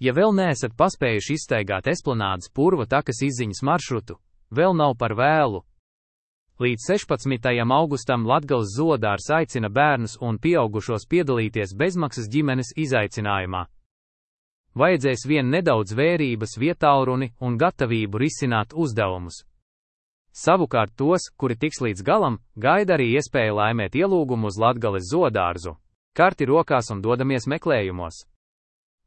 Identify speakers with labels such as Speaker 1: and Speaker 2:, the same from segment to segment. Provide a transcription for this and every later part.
Speaker 1: Ja vēl neesat paspējuši izstaigāt Esplanādes Purva takas izziņas maršrutu, vēl nav par vēlu. Līdz 16. augustam Latgales zoodārs aicina bērnus un pieaugušos piedalīties bezmaksas ģimenes izaicinājumā. Vajadzēs vien nedaudz vērības, vietālruni un gatavību risināt uzdevumus. Savukārt tos, kuri tiks līdz galam, gaida arī iespēja laimēt ielūgumu uz Latgales zoodārzu. Karti rokās un dodamies meklējumos.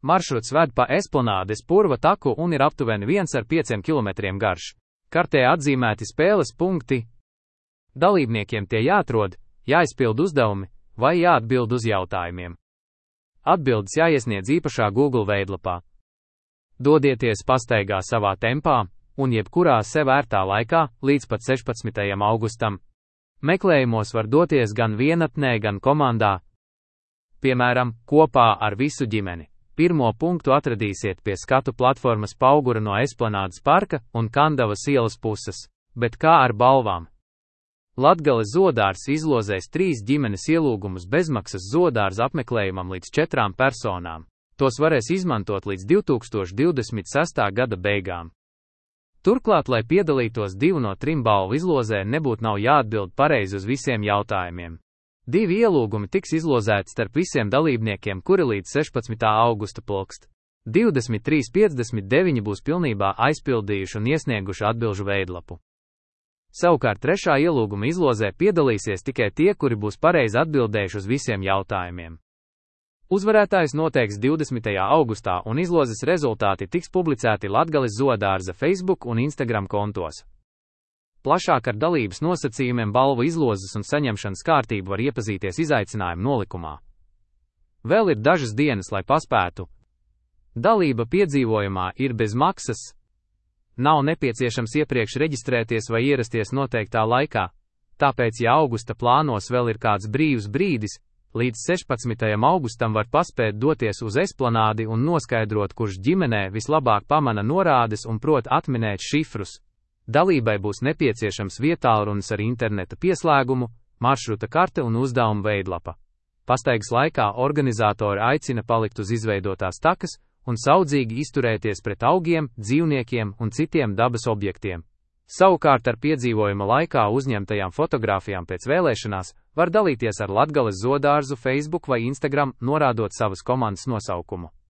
Speaker 1: Maršruts ved pa Esplanādes Purva taku un ir aptuveni 1,5 km garš. Kartē atzīmēti spēles punkti. Dalībniekiem tie jāatrod, jāizpild uzdevumi vai jāatbild uz jautājumiem. Atbildes jāiesniedz īpašā Google veidlapā. Dodieties pastaigā savā tempā un jebkurā sev ērtā laikā līdz pat 16. augustam. Meklējumos var doties gan vienatnē, gan komandā. Piemēram, kopā ar visu ģimeni. Pirmo punktu atradīsiet pie skatu platformas Paugura no Esplanādes parka un Kandavas ielas puses, bet kā ar balvām? Latgales zoodārs izlozēs 3 ģimenes ielūgumus bezmaksas zoodārza apmeklējumam līdz 4 personām. Tos varēs izmantot līdz 2026. gada beigām. Turklāt, lai piedalītos 2 no 3 balvu izlozē, nebūtu nav jāatbild pareizi uz visiem jautājumiem. 2 ielūgumi tiks izlozēti starp visiem dalībniekiem, kuri līdz 16. augusta plokst. 23,59 būs pilnībā aizpildījuši un iesnieguši atbilžu veidlapu. Savukārt 3. ielūguma izlozē piedalīsies tikai tie, kuri būs pareizi atbildējuši uz visiem jautājumiem. Uzvarētājs noteiks 20. augustā un izlozes rezultāti tiks publicēti Latgales zoodārza Facebook un Instagram kontos. Plašāk ar dalības nosacījumiem, balvu izlozes un saņemšanas kārtību var iepazīties izaicinājumu nolikumā. Vēl ir dažas dienas, lai paspētu. Dalība piedzīvojumā ir bez maksas. Nav nepieciešams iepriekš reģistrēties vai ierasties noteiktā laikā, tāpēc, ja augusta plānos vēl ir kāds brīvs brīdis, līdz 16. augustam var paspēt doties uz Esplanādi un noskaidrot, kurš ģimenē vislabāk pamana norādes un prot atminēt šifrus. Dalībai būs nepieciešams vietālrunis ar interneta pieslēgumu, maršruta karte un uzdevuma veidlapa. Pastaigas laikā organizatori aicina palikt uz izveidotās takas un saudzīgi izturēties pret augiem, dzīvniekiem un citiem dabas objektiem. Savukārt ar piedzīvojuma laikā uzņemtajām fotogrāfijām pēc vēlēšanās var dalīties ar Latgales zoodārzu Facebook vai Instagram, norādot savas komandas nosaukumu.